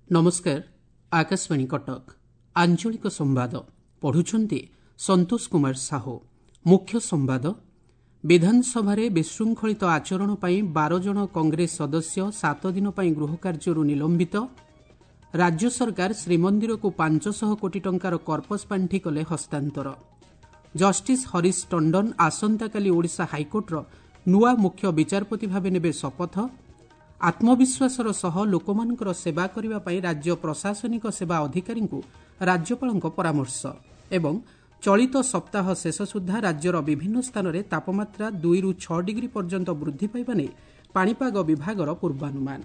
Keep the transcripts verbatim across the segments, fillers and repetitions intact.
ନମସ୍କାର ଆକାଶବାଣୀ କଟକ ଆଞ୍ଚଳିକ ସମ୍ବାଦ ପଢୁଛନ୍ତି ସନ୍ତୋଷ କୁମାର ସାହୁ ମୁଖ୍ୟ ସମ୍ବାଦ ବିଧାନସଭାରେ ବିଶୃଙ୍ଖଳିତ ଆଚରଣ ପାଇଁ ବାର ଜଣ କଂଗ୍ରେସ ସଦସ୍ୟ ସାତ ଦିନ ପାଇଁ ଗୃହକାର୍ଯ୍ୟରୁ ନିଲମ୍ବିତ ରାଜ୍ୟ ସରକାର ଶ୍ରୀମନ୍ଦିରକୁ ପାଞ୍ଚଶହ କୋଟି ଟଙ୍କାର କର୍ପସ ପାଣ୍ଠି କଲେ ହସ୍ତାନ୍ତର ଜଷ୍ଟିସ୍ ହରିଶ ଟଣ୍ଡନ ଆସନ୍ତାକାଲି ଓଡ଼ିଶା ହାଇକୋର୍ଟର ନୂଆ ମୁଖ୍ୟ ବିଚାରପତି ଭାବେ ନେବେ ଶପଥ ଆତ୍ମବିଶ୍ୱାସର ସହ ଲୋକମାନଙ୍କର ସେବା କରିବା ପାଇଁ ରାଜ୍ୟ ପ୍ରଶାସନିକ ସେବା ଅଧିକାରୀଙ୍କୁ ରାଜ୍ୟପାଳଙ୍କ ପରାମର୍ଶ ଏବଂ ଚଳିତ ସପ୍ତାହ ଶେଷ ସୁଦ୍ଧା ରାଜ୍ୟର ବିଭିନ୍ନ ସ୍ଥାନରେ ତାପମାତ୍ରା ଦୁଇରୁ ଛଅ ଡିଗ୍ରୀ ପର୍ଯ୍ୟନ୍ତ ବୃଦ୍ଧି ପାଇବା ନେଇ ପାଣିପାଗ ବିଭାଗର ପୂର୍ବାନୁମାନ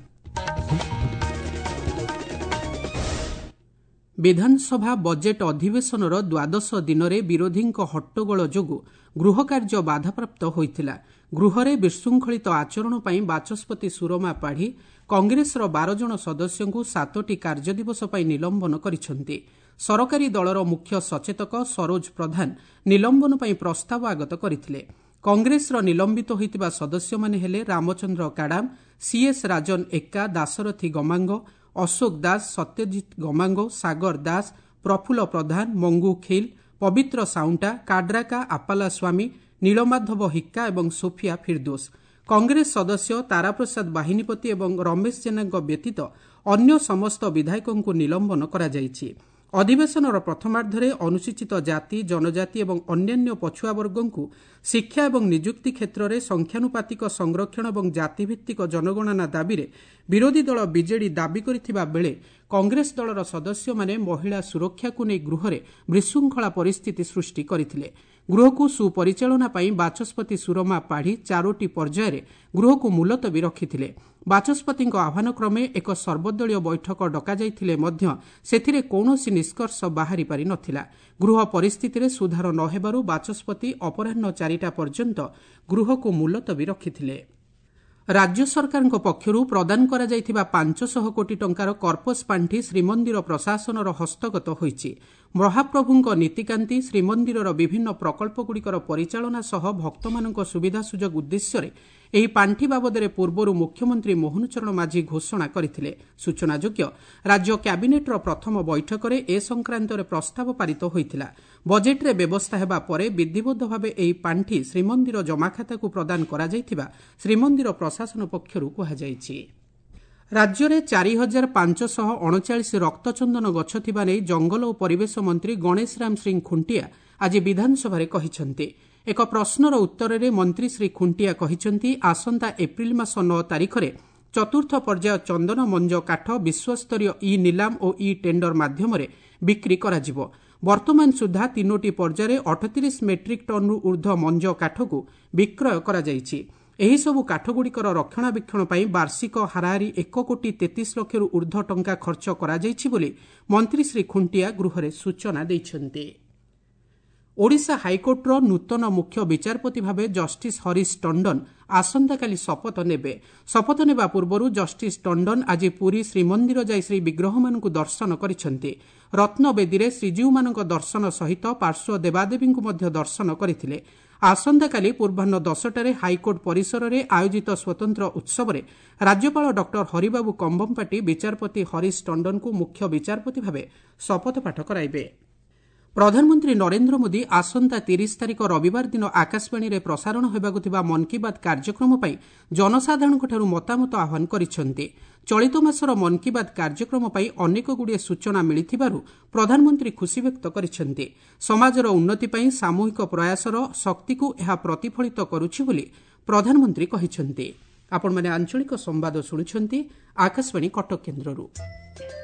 ବିଧାନସଭା ବଜେଟ୍ ଅଧିବେଶନର ଦ୍ୱାଦଶ ଦିନରେ ବିରୋଧୀଙ୍କ ହଟ୍ଟଗୋଳ ଯୋଗୁଁ ଗୃହକାର୍ଯ୍ୟ ବାଧାପ୍ରାପ୍ତ ହୋଇଥିଲା ଗୃହରେ ବିଶୃଙ୍ଖଳିତ ଆଚରଣ ପାଇଁ ବାଚସ୍ପତି ସୁରମା ପାଢ଼ୀ କଂଗ୍ରେସର ବାର ଜଣ ସଦସ୍ୟଙ୍କୁ ସାତୋଟି କାର୍ଯ୍ୟଦିବସ ପାଇଁ ନିଲମ୍ବନ କରିଛନ୍ତି ସରକାରୀ ଦଳର ମୁଖ୍ୟ ସଚେତକ ସରୋଜ ପ୍ରଧାନ ନିଲମ୍ବନ ପାଇଁ ପ୍ରସ୍ତାବ ଆଗତ କରିଥିଲେ କଂଗ୍ରେସର ନିଲମ୍ବିତ ହୋଇଥିବା ସଦସ୍ୟମାନେ ହେଲେ ରାମଚନ୍ଦ୍ର କାଡାମ ସିଏସ୍ ରାଜନ ଏକ୍କା ଦାଶରଥୀ ଗମାଙ୍ଗ ଅଶୋକ ଦାସ ସତ୍ୟଜିତ ଗମାଙ୍ଗ ସାଗର ଦାସ ପ୍ରଫୁଲ୍ଲ ପ୍ରଧାନ ମଙ୍ଗୁ ଖିଲ ପବିତ୍ର ସାଉଣ୍ଟା କାଡ୍ରାକା ଆପାଲା ସ୍ୱାମୀ ନୀଳମାଧବ ହିକ୍କା ଏବଂ ସୋଫିଆ ଫିର୍ଦୋସ କଂଗ୍ରେସ ସଦସ୍ୟ ତାରାପ୍ରସାଦ ବାହିନୀପତି ଏବଂ ରମେଶ ଜେନାଙ୍କ ବ୍ୟତୀତ ଅନ୍ୟ ସମସ୍ତ ବିଧାୟକଙ୍କୁ ନିଲମ୍ବନ କରାଯାଇଛି ଅଧିବେଶନର ପ୍ରଥମାର୍ଦ୍ଧରେ ଅନୁସୂଚିତ ଜାତି ଜନଜାତି ଏବଂ ଅନ୍ୟାନ୍ୟ ପଛୁଆବର୍ଗଙ୍କୁ ଶିକ୍ଷା ଏବଂ ନିଯୁକ୍ତି କ୍ଷେତ୍ରରେ ସଂଖ୍ୟାନୁପାତିକ ସଂରକ୍ଷଣ ଏବଂ ଜାତିଭିତ୍ତିକ ଜନଗଣନା ଦାବିରେ ବିରୋଧୀ ଦଳ ବିଜେଡି ଦାବି କରିଥିବା ବେଳେ କଂଗ୍ରେସ ଦଳର ସଦସ୍ୟମାନେ ମହିଳା ସୁରକ୍ଷାକୁ ନେଇ ଗୃହରେ ବିଶୃଙ୍ଖଳା ପରିସ୍ଥିତି ସୃଷ୍ଟି କରିଥିଲେ ଗୃହକୁ ସୁପରିଚାଳନା ପାଇଁ ବାଚସ୍ପତି ସୁରମା ପାଢ଼ୀ ଚାରୋଟି ପର୍ଯ୍ୟାୟରେ ଗୃହକୁ ମୁଲତବୀ ରଖିଥିଲେ ବାଚସ୍ପତିଙ୍କ ଆହ୍ୱାନକ୍ରମେ ଏକ ସର୍ବଦଳୀୟ ବୈଠକ ଡକାଯାଇଥିଲେ ମଧ୍ୟ ସେଥିରେ କୌଣସି ନିଷ୍କର୍ଷ ବାହାରି ପାରି ନଥିଲା ଗୃହ ପରିସ୍ଥିତିରେ ସୁଧାର ନ ହେବାରୁ ବାଚସ୍ପତି ଅପରାହ୍ନ ଚାରିଟା ପର୍ଯ୍ୟନ୍ତ ଗୃହକୁ ମୁଲତବୀ ରଖିଥିଲେ ରାଜ୍ୟ ସରକାରଙ୍କ ପକ୍ଷରୁ ପ୍ରଦାନ କରାଯାଇଥିବା ପାଞ୍ଚଶହ କୋଟି ଟଙ୍କାର କର୍ପସ ପାଣ୍ଠି ଶ୍ରୀମନ୍ଦିର ପ୍ରଶାସନର ହସ୍ତଗତ ହୋଇଛି ମହାପ୍ରଭୁଙ୍କ ନୀତିକାନ୍ତି ଶ୍ରୀମନ୍ଦିରର ବିଭିନ୍ନ ପ୍ରକଳ୍ପଗୁଡ଼ିକର ପରିଚାଳନା ସହ ଭକ୍ତମାନଙ୍କ ସୁବିଧା ସୁଯୋଗ ଉଦ୍ଦେଶ୍ୟରେ ଏହି ପାଣ୍ଠି ବାବଦରେ ପୂର୍ବରୁ ମୁଖ୍ୟମନ୍ତ୍ରୀ ମୋହନ ଚରଣ ମାଝୀ ଘୋଷଣା କରିଥିଲେ ସୂଚନାଯୋଗ୍ୟ ରାଜ୍ୟ କ୍ୟାବିନେଟ୍ର ପ୍ରଥମ ବୈଠକରେ ଏ ସଂକ୍ରାନ୍ତରେ ପ୍ରସ୍ତାବ ପାରିତ ହୋଇଥିଲା ବଜେଟ୍ରେ ବ୍ୟବସ୍ଥା ହେବା ପରେ ବିଧିବଦ୍ଧ ଭାବେ ଏହି ପାଣ୍ଠି ଶ୍ରୀମନ୍ଦିର ଜମାଖାତାକୁ ପ୍ରଦାନ କରାଯାଇଥିବା ଶ୍ରୀମନ୍ଦିର ପ୍ରଶାସନ ପକ୍ଷରୁ କୁହାଯାଇଛି ରାଜ୍ୟରେ ଚାରି ହଜାର ପାଞ୍ଚଶହ ଅଣଚାଳିଶ ରକ୍ତଚନ୍ଦନ ଗଛ ଥିବା ନେଇ ଜଙ୍ଗଲ ଓ ପରିବେଶ ମନ୍ତ୍ରୀ ଗଣେଶ ରାମ ସିଂ ଖୁଣ୍ଟିଆ ଆଜି ବିଧାନସଭାରେ କହିଛନ୍ତି ଏକ ପ୍ରଶ୍ନର ଉତ୍ତରରେ ମନ୍ତ୍ରୀ ଶ୍ରୀ ଖୁଣ୍ଟିଆ କହିଛନ୍ତି ଆସନ୍ତା ଏପ୍ରିଲ ମାସ ନଅ ତାରିଖରେ ଚତୁର୍ଥ ପର୍ଯ୍ୟାୟ ଚନ୍ଦନ ମଞ୍ଜ କାଠ ବିଶ୍ୱସ୍ତରୀୟ ଇ ନିଲାମ ଓ ଇ ଟେଣ୍ଡର ମାଧ୍ୟମରେ ବିକ୍ରି କରାଯିବ ବର୍ତ୍ତମାନ ସୁଦ୍ଧା ତିନୋଟି ପର୍ଯ୍ୟାୟରେ ଅଠତିରିଶ ମେଟ୍ରିକ୍ ଟନ୍ରୁ ଊର୍ଦ୍ଧ୍ୱ ମଞ୍ଜ କାଠକୁ ବିକ୍ରୟ କରାଯାଇଛି ଏହିସବୁ କାଠଗୁଡ଼ିକର ରକ୍ଷଣାବେକ୍ଷଣ ପାଇଁ ବାର୍ଷିକ ହାରାହାରି ଏକ କୋଟି ତେତିଶ ଲକ୍ଷରୁ ଊର୍ଦ୍ଧ୍ୱ ଟଙ୍କା ଖର୍ଚ୍ଚ କରାଯାଇଛି ବୋଲି ମନ୍ତ୍ରୀ ଶ୍ରୀ ଖୁଣ୍ଟିଆ ଗୃହରେ ସୂଚନା ଦେଇଛନ୍ତି ଓଡ଼ିଶା ହାଇକୋର୍ଟର ନୂତନ ମୁଖ୍ୟ ବିଚାରପତି ଭାବେ ଜଷ୍ଟିସ୍ ହରିଶ ଟଣ୍ଡନ ଆସନ୍ତାକାଲି ଶପଥ ନେବେ ଶପଥ ନେବା ପୂର୍ବରୁ ଜଷ୍ଟିସ୍ ଟଣ୍ଡନ ଆଜି ପୁରୀ ଶ୍ରୀମନ୍ଦିର ଯାଇ ଶ୍ରୀବିଗ୍ରହମାନଙ୍କୁ ଦର୍ଶନ କରିଛନ୍ତି ରତ୍ନବେଦୀରେ ଶ୍ରୀଜୀଉମାନଙ୍କ ଦର୍ଶନ ସହିତ ପାର୍ଶ୍ୱ ଦେବାଦେବୀଙ୍କୁ ମଧ୍ୟ ଦର୍ଶନ କରିଥିଲେ ଆସନ୍ତାକାଲି ପୂର୍ବାହ୍ନ ଦଶଟାରେ ହାଇକୋର୍ଟ ପରିସରରେ ଆୟୋଜିତ ସ୍ୱତନ୍ତ୍ର ଉତ୍ସବରେ ରାଜ୍ୟପାଳ ଡକ୍ଟର ହରିବାବୁ କମ୍ଭମପାଟି ବିଚାରପତି ହରିଶ ଟଣ୍ଡନଙ୍କୁ ମୁଖ୍ୟ ବିଚାରପତି ଭାବେ ଶପଥପାଠ କରାଇବେ ପ୍ରଧାନମନ୍ତ୍ରୀ ନରେନ୍ଦ୍ର ମୋଦି ଆସନ୍ତା ତିରିଶ ତାରିଖ ରବିବାର ଦିନ ଆକାଶବାଣୀରେ ପ୍ରସାରଣ ହେବାକୁ ଥିବା ମନ୍ କି ବାତ୍ କାର୍ଯ୍ୟକ୍ରମ ପାଇଁ ଜନସାଧାରଣଙ୍କଠାରୁ ମତାମତ ଆହ୍ୱାନ କରିଛନ୍ତି ଚଳିତ ମାସର ମନ୍ କି ବାତ୍ କାର୍ଯ୍ୟକ୍ରମ ପାଇଁ ଅନେକଗୁଡ଼ିଏ ସୂଚନା ମିଳିଥିବାରୁ ପ୍ରଧାନମନ୍ତ୍ରୀ ଖୁସି ବ୍ୟକ୍ତ କରିଛନ୍ତି ସମାଜର ଉନ୍ନତି ପାଇଁ ସାମୂହିକ ପ୍ରୟାସର ଶକ୍ତିକୁ ଏହା ପ୍ରତିଫଳିତ କରୁଛି ବୋଲି ପ୍ରଧାନମନ୍ତ୍ରୀ କହିଛନ୍ତି ଆପଣମାନେ ଆଞ୍ଚଳିକ ସମ୍ବାଦ ଶୁଣୁଛନ୍ତି ଆକାଶବାଣୀ କଟକ କେନ୍ଦ୍ରରୁ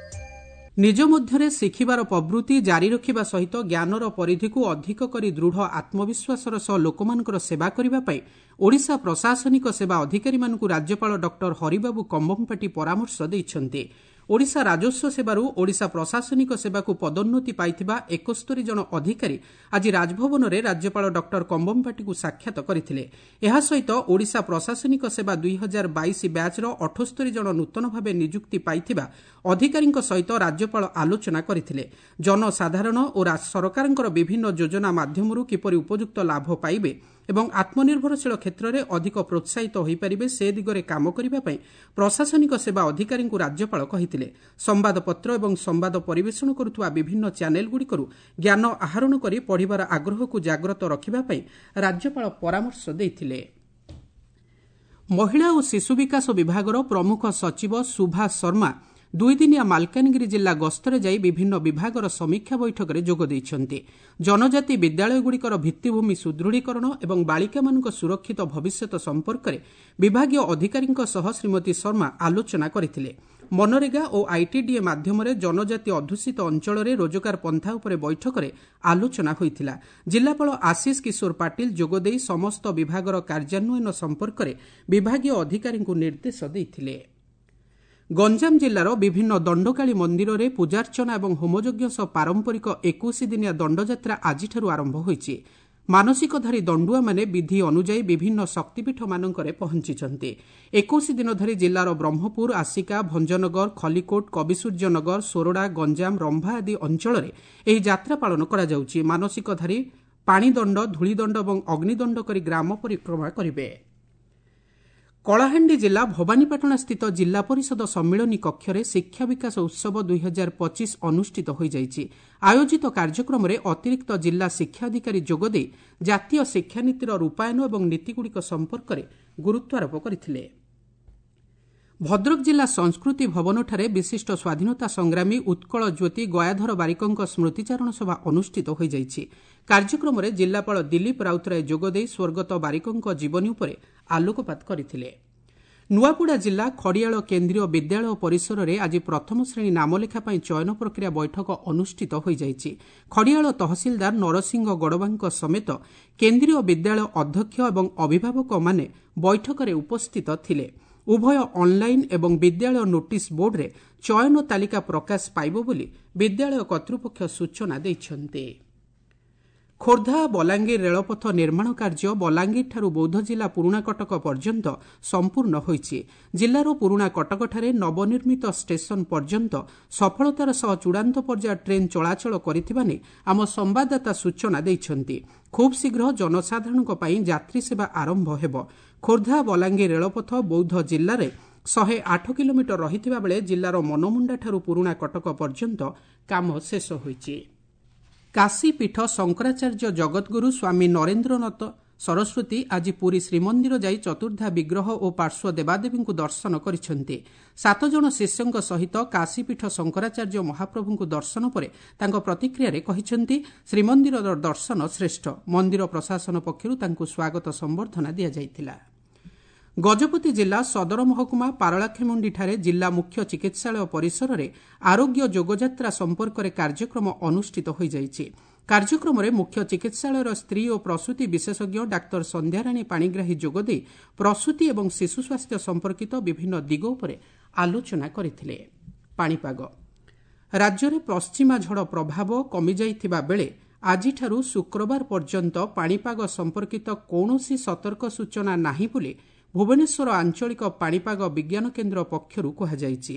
ନିଜ ମଧ୍ୟରେ ଶିଖିବାର ପ୍ରବୃତ୍ତି ଜାରି ରଖିବା ସହିତ ଜ୍ଞାନର ପରିଧିକୁ ଅଧିକ କରି ଦୃଢ଼ ଆତ୍ମବିଶ୍ୱାସର ସହ ଲୋକମାନଙ୍କର ସେବା କରିବା ପାଇଁ ଓଡ଼ିଶା ପ୍ରଶାସନିକ ସେବା ଅଧିକାରୀମାନଙ୍କୁ ରାଜ୍ୟପାଳ ଡକ୍ଟର ହରିବାବୁ କମ୍ଭମପାଟି ପରାମର୍ଶ ଦେଇଛନ୍ତି ଓଡ଼ିଶା ରାଜସ୍ୱ ସେବାରୁ ଓଡ଼ିଶା ପ୍ରଶାସନିକ ସେବାକୁ ପଦୋନ୍ନତି ପାଇଥିବା ଏକସ୍ତରୀ ଜଣ ଅଧିକାରୀ ଆଜି ରାଜଭବନରେ ରାଜ୍ୟପାଳ ଡକ୍ଟର କମ୍ଭମପାଟିଙ୍କୁ ସାକ୍ଷାତ କରିଥିଲେ ଏହା ସହିତ ଓଡ଼ିଶା ପ୍ରଶାସନିକ ସେବା ଦୁଇ ହଜାର ବାଇଶ ବ୍ୟାଚ୍ର ଅଠସ୍ତରୀ ଜଣ ନୂତନ ଭାବେ ନିଯୁକ୍ତି ପାଇଥିବା ଅଧିକାରୀଙ୍କ ସହିତ ରାଜ୍ୟପାଳ ଆଲୋଚନା କରିଥିଲେ ଜନସାଧାରଣ ଓ ସରକାରଙ୍କର ବିଭିନ୍ନ ଯୋଜନା ମାଧ୍ୟମରୁ କିପରି ଉପଯୁକ୍ତ ଲାଭ ପାଇବେ ଏବଂ ଆତ୍ମନିର୍ଭରଶୀଳ କ୍ଷେତ୍ରରେ ଅଧିକ ପ୍ରୋତ୍ସାହିତ ହୋଇପାରିବେ ସେ ଦିଗରେ କାମ କରିବା ପାଇଁ ପ୍ରଶାସନିକ ସେବା ଅଧିକାରୀଙ୍କୁ ରାଜ୍ୟପାଳ କହିଥିଲେ କରିଥିଲେ। ସମ୍ବାଦପତ୍ର ଏବଂ ସମ୍ବାଦ ପରିବେଷଣ କରୁଥିବା ବିଭିନ୍ନ ଚ୍ୟାନେଲଗୁଡ଼ିକରୁ ଜ୍ଞାନ ଆହରଣ କରି ପଢ଼ିବାର ଆଗ୍ରହକୁ ଜାଗ୍ରତ ରଖିବା ପାଇଁ ରାଜ୍ୟପାଳ ପରାମର୍ଶ ଦେଇଥିଲେ। ମହିଳା ଓ ଶିଶୁ ବିକାଶ ବିଭାଗର ପ୍ରମୁଖ ସଚିବ ସୁଭା ଶର୍ମା ଦୁଇଦିନିଆ ମାଲକାନଗିରି ଜିଲ୍ଲା ଗସ୍ତରେ ଯାଇ ବିଭିନ୍ନ ବିଭାଗର ସମୀକ୍ଷା ବୈଠକରେ ଯୋଗ ଦେଇଛନ୍ତି। ଜନଜାତି ବିଦ୍ୟାଳୟଗୁଡ଼ିକର ଭିତ୍ତିଭୂମି ସୁଦୃଢ଼ୀକରଣ ଏବଂ ବାଳିକାମାନଙ୍କ ସୁରକ୍ଷିତ ଭବିଷ୍ୟତ ସମ୍ପର୍କରେ ବିଭାଗୀୟ ଅଧିକାରୀଙ୍କ ସହ ଶ୍ରୀମତୀ ଶର୍ମା ଆଲୋଚନା କରିଥିଲେ। ମନରେଗା ଓ ଆଇଟିଡିଏ ମାଧ୍ୟମରେ ଜନଜାତି ଅଧ୍ୟୁଷିତ ଅଞ୍ଚଳରେ ରୋଜଗାର ପନ୍ଥା ଉପରେ ବୈଠକରେ ଆଲୋଚନା ହୋଇଥିଲା। ଜିଲ୍ଲାପାଳ ଆଶିଷ କିଶୋର ପାଟିଲ ଯୋଗଦେଇ ସମସ୍ତ ବିଭାଗର କାର୍ଯ୍ୟାନ୍ୱୟନ ସମ୍ପର୍କରେ ବିଭାଗୀୟ ଅଧିକାରୀଙ୍କୁ ନିର୍ଦ୍ଦେଶ ଦେଇଥିଲେ। ଗଞ୍ଜାମ ଜିଲ୍ଲାର ବିଭିନ୍ନ ଦଣ୍ଡକାଳୀ ମନ୍ଦିରରେ ପୂଜାର୍ଚ୍ଚନା ଏବଂ ହୋମଯଜ୍ଞ ସହ ପାରମ୍ପରିକ ଏକୋଇଶ ଦିନିଆ ଦଣ୍ଡଯାତ୍ରା ଆଜିଠାରୁ ଆରମ୍ଭ ହୋଇଛି। ମାନସିକଧାରୀ ଦଣ୍ଡୁଆମାନେ ବିଧି ଅନୁଯାୟୀ ବିଭିନ୍ନ ଶକ୍ତିପୀଠମାନଙ୍କରେ ପହଞ୍ଚିଛନ୍ତି। ଏକୋଇଶ ଦିନ ଧରି ଜିଲ୍ଲାର ବ୍ରହ୍ମପୁର, ଆସିକା, ଭଞ୍ଜନଗର, ଖଲିକୋଟ, କବିସୂର୍ଯ୍ୟନଗର, ସୋରଡ଼ା, ଗଞ୍ଜାମ, ରମ୍ଭା ଆଦି ଅଞ୍ଚଳରେ ଏହି ଯାତ୍ରା ପାଳନ କରାଯାଉଛି। ମାନସିକଧାରୀ ପାଣିଦଣ୍ଡ, ଧୂଳିଦଣ୍ଡ ଏବଂ ଅଗ୍ନିଦଣ୍ଡ କରି ଗ୍ରାମ ପରିକ୍ରମା କରିବେ। କଳାହାଣ୍ଡି ଜିଲ୍ଲା ଭବାନୀପାଟଣା ସ୍ଥିତ ଜିଲ୍ଲା ପରିଷଦ ସମ୍ମିଳନୀ କକ୍ଷରେ ଶିକ୍ଷା ବିକାଶ ଉତ୍ସବ ଦୁଇ ହଜାର ପଚିଶ ଅନୁଷ୍ଠିତ ହୋଇଯାଇଛି। ଆୟୋଜିତ କାର୍ଯ୍ୟକ୍ରମରେ ଅତିରିକ୍ତ ଜିଲ୍ଲା ଶିକ୍ଷାଧିକାରୀ ଯୋଗଦେଇ ଜାତୀୟ ଶିକ୍ଷାନୀତିର ରୂପାୟନ ଏବଂ ନୀତିଗୁଡ଼ିକ ସମ୍ପର୍କରେ ଗୁରୁତ୍ୱାରୋପ କରିଥିଲେ। ଭଦ୍ରକ ଜିଲ୍ଲା ସଂସ୍କୃତି ଭବନଠାରେ ବିଶିଷ୍ଟ ସ୍ୱାଧୀନତା ସଂଗ୍ରାମୀ ଉତ୍କଳ ଜ୍ୟୋତି ଗୟାଧର ବାରିକଙ୍କ ସ୍ମୃତିଚାରଣ ସଭା ଅନୁଷ୍ଠିତ ହୋଇଯାଇଛି। କାର୍ଯ୍ୟକ୍ରମରେ ଜିଲ୍ଲାପାଳ ଦିଲ୍ଲୀପ ରାଉତରାୟ ଯୋଗଦେଇ ସ୍ୱର୍ଗତ ବାରିକଙ୍କ ଜୀବନୀ ଉପରେ ଆଲୋକପାତ କରିଥିଲେ। ନୂଆପଡ଼ା ଜିଲ୍ଲା ଖଡ଼ିଆଳ କେନ୍ଦ୍ରୀୟ ବିଦ୍ୟାଳୟ ପରିସରରେ ଆଜି ପ୍ରଥମ ଶ୍ରେଣୀ ନାମଲେଖା ପାଇଁ ଚୟନ ପ୍ରକ୍ରିୟା ବୈଠକ ଅନୁଷ୍ଠିତ ହୋଇଯାଇଛି। ଖଡ଼ିଆଳ ତହସିଲଦାର ନରସିଂହ ଗଡ଼ବାଙ୍କ ସମେତ କେନ୍ଦ୍ରୀୟ ବିଦ୍ୟାଳୟ ଅଧ୍ୟକ୍ଷ ଏବଂ ଅଭିଭାବକମାନେ ବୈଠକରେ ଉପସ୍ଥିତ ଥିଲେ। ଉଭୟ ଅନ୍ଲାଇନ୍ ଏବଂ ବିଦ୍ୟାଳୟ ନୋଟିସ୍ ବୋର୍ଡରେ ଚୟନ ତାଲିକା ପ୍ରକାଶ ପାଇବ ବୋଲି ବିଦ୍ୟାଳୟ କର୍ତ୍ତୃପକ୍ଷ ସୂଚନା ଦେଇଛନ୍ତି। ଖୋର୍ଦ୍ଧା ବଲାଙ୍ଗୀର ରେଳପଥ ନିର୍ମାଣ କାର୍ଯ୍ୟ ବଲାଙ୍ଗୀରଠାରୁ ବୌଦ୍ଧ ଜିଲ୍ଲା ପୁରୁଣା କଟକ ପର୍ଯ୍ୟନ୍ତ ସମ୍ପୂର୍ଣ୍ଣ ହୋଇଛି। ଜିଲ୍ଲାର ପୁରୁଣା କଟକଠାରେ ନବନିର୍ମିତ ଷ୍ଟେସନ ପର୍ଯ୍ୟନ୍ତ ସଫଳତାର ସହ ଚୂଡ଼ାନ୍ତ ପର୍ଯ୍ୟାୟ ଟ୍ରେନ୍ ଚଳାଚଳ କରିଥିବା ନେଇ ଆମ ସମ୍ବାଦଦାତା ସୂଚନା ଦେଇଛନ୍ତି। ଖୁବ୍ ଶୀଘ୍ର ଜନସାଧାରଣଙ୍କ ପାଇଁ ଯାତ୍ରୀ ସେବା ଆରମ୍ଭ ହେବ। ଖୋର୍ଦ୍ଧା ବଲାଙ୍ଗୀର ରେଳପଥ ବୌଦ୍ଧ ଜିଲ୍ଲାରେ ଶହେ ଆଠ କିଲୋମିଟର ରହିଥିବା ବେଳେ ଜିଲ୍ଲାର ମନମୁଣ୍ଡାଠାରୁ ପୁରୁଣା କଟକ ପର୍ଯ୍ୟନ୍ତ କାମ ଶେଷ ହୋଇଛି। କାଶୀପୀଠ ଶଙ୍କରାଚାର୍ଯ୍ୟ ଜଗଦ୍ଗୁରୁ ସ୍ୱାମୀ ନରେନ୍ଦ୍ରନାଥ ସରସ୍ୱତୀ ଆଜି ପୁରୀ ଶ୍ରୀମନ୍ଦିର ଯାଇ ଚତୁର୍ଦ୍ଧା ବିଗ୍ରହ ଓ ପାର୍ଶ୍ୱ ଦେବାଦେବୀଙ୍କୁ ଦର୍ଶନ କରିଛନ୍ତି। ସାତ ଜଣ ଶିଷ୍ୟଙ୍କ ସହିତ କାଶୀପୀଠ ଶଙ୍କରାଚାର୍ଯ୍ୟ ମହାପ୍ରଭୁଙ୍କୁ ଦର୍ଶନ ପରେ ତାଙ୍କ ପ୍ରତିକ୍ରିୟାରେ କହିଛନ୍ତି, ଶ୍ରୀମନ୍ଦିରର ଦର୍ଶନ ଶ୍ରେଷ୍ଠ। ମନ୍ଦିର ପ୍ରଶାସନ ପକ୍ଷରୁ ତାଙ୍କୁ ସ୍ୱାଗତ ସମ୍ବର୍ଦ୍ଧନା ଦିଆଯାଇଥିଲା। ଗଜପତି ଜିଲ୍ଲା ସଦର ମହକୁମା ପାରଳାଖେମୁଣ୍ଡିଠାରେ ଜିଲ୍ଲା ମୁଖ୍ୟ ଚିକିତ୍ସାଳୟ ପରିସରରେ ଆରୋଗ୍ୟ ଯୋଗଯାତ୍ରା ସମ୍ପର୍କରେ କାର୍ଯ୍ୟକ୍ରମ ଅନୁଷ୍ଠିତ ହୋଇଯାଇଛି। କାର୍ଯ୍ୟକ୍ରମରେ ମୁଖ୍ୟ ଚିକିତ୍ସାଳୟର ସ୍ତ୍ରୀ ଓ ପ୍ରସୂତି ବିଶେଷଜ୍ଞ ଡାକ୍ତର ସନ୍ଧ୍ୟାରାଣୀ ପାଣିଗ୍ରାହୀ ଯୋଗଦେଇ ପ୍ରସୂତି ଏବଂ ଶିଶୁ ସ୍ୱାସ୍ଥ୍ୟ ସମ୍ପର୍କିତ ବିଭିନ୍ନ ଦିଗ ଉପରେ ଆଲୋଚନା କରିଥିଲେ। ପାଣିପାଗ ରାଜ୍ୟରେ ପଶ୍ଚିମା ଝଡ଼ ପ୍ରଭାବ କମିଯାଇଥିବା ବେଳେ ଆଜିଠାରୁ ଶୁକ୍ରବାର ପର୍ଯ୍ୟନ୍ତ ପାଣିପାଗ ସମ୍ପର୍କିତ କୌଣସି ସତର୍କ ସୂଚନା ନାହିଁ ବୋଲି ଭୁବନେଶ୍ୱର ଆଞ୍ଚଳିକ ପାଣିପାଗ ବିଜ୍ଞାନ କେନ୍ଦ୍ର ପକ୍ଷରୁ କୁହାଯାଇଛି।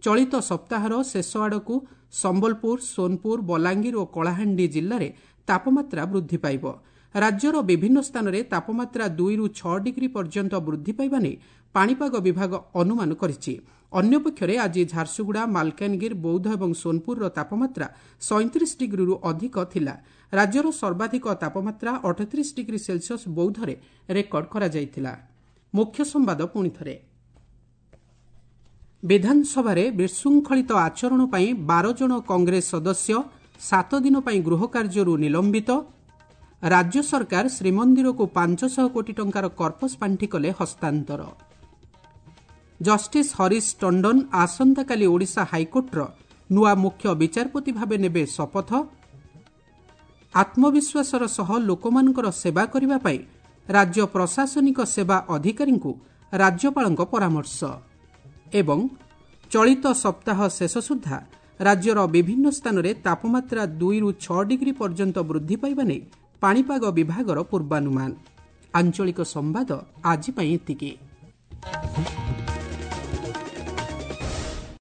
ଚଳିତ ସପ୍ତାହର ଶେଷ ଆଡ଼କୁ ସମ୍ବଲପୁର, ସୋନପୁର, ବଲାଙ୍ଗୀର ଓ କଳାହାଣ୍ଡି ଜିଲ୍ଲାରେ ତାପମାତ୍ରା ବୃଦ୍ଧି ପାଇବ। ରାଜ୍ୟର ବିଭିନ୍ନ ସ୍ଥାନରେ ତାପମାତ୍ରା ଦୁଇରୁ ଛଅ ଡିଗ୍ରୀ ପର୍ଯ୍ୟନ୍ତ ବୃଦ୍ଧି ପାଇବା ନେଇ ପାଣିପାଗ ବିଭାଗ ଅନୁମାନ କରିଛି। ଅନ୍ୟପକ୍ଷରେ ଆଜି ଝାରସୁଗୁଡ଼ା, ମାଲକାନଗିରି, ବୌଦ୍ଧ ଏବଂ ସୋନପୁରର ତାପମାତ୍ରା ସଇଁତିରିଶ ଡିଗ୍ରୀରୁ ଅଧିକ ଥିଲା। ରାଜ୍ୟର ସର୍ବାଧିକ ତାପମାତ୍ରା ଅଠତିରିଶ ଡିଗ୍ରୀ ସେଲସିୟସ୍ ବୌଦ୍ଧରେ ରେକର୍ଡ କରାଯାଇଥିଲା। ମୁଖ୍ୟ ସମ୍ବାଦ ପୁଣିଥରେ। ବିଧାନସଭାରେ ବିଶୃଙ୍ଖଳିତ ଆଚରଣ ପାଇଁ ବାର ଜଣ କଂଗ୍ରେସ ସଦସ୍ୟ ସାତ ଦିନ ପାଇଁ ଗୃହ କାର୍ଯ୍ୟରୁ ନିଲମ୍ବିତ। ରାଜ୍ୟ ସରକାର ଶ୍ରୀମନ୍ଦିରକୁ ପାଞ୍ଚଶହ କୋଟି ଟଙ୍କାର କର୍ପସ୍ ପାଣ୍ଠି କଲେ ହସ୍ତାନ୍ତର। ଜଷ୍ଟିସ୍ ହରିଶ ଟଣ୍ଡନ ଆସନ୍ତାକାଲି ଓଡ଼ିଶା ହାଇକୋର୍ଟର ନୂଆ ମୁଖ୍ୟ ବିଚାରପତି ଭାବେ ନେବେ ଶପଥ। ଆତ୍ମବିଶ୍ୱାସର ସହ ଲୋକମାନଙ୍କର ସେବା କରିବା ପାଇଁ ରାଜ୍ୟ ପ୍ରଶାସନିକ ସେବା ଅଧିକାରୀଙ୍କୁ ରାଜ୍ୟପାଳଙ୍କ ପରାମର୍ଶ। ଏବଂ ଚଳିତ ସପ୍ତାହ ଶେଷ ସୁଦ୍ଧା ରାଜ୍ୟର ବିଭିନ୍ନ ସ୍ଥାନରେ ତାପମାତ୍ରା ଦୁଇରୁ ଛଅ ଡିଗ୍ରୀ ପର୍ଯ୍ୟନ୍ତ ବୃଦ୍ଧି ପାଇବା ନେଇ ପାଣିପାଗ ବିଭାଗର ପୂର୍ବାନୁମାନ। ଆଞ୍ଚଳିକ ସମ୍ବାଦ ଆଜି ପାଇଁ ଏତିକି।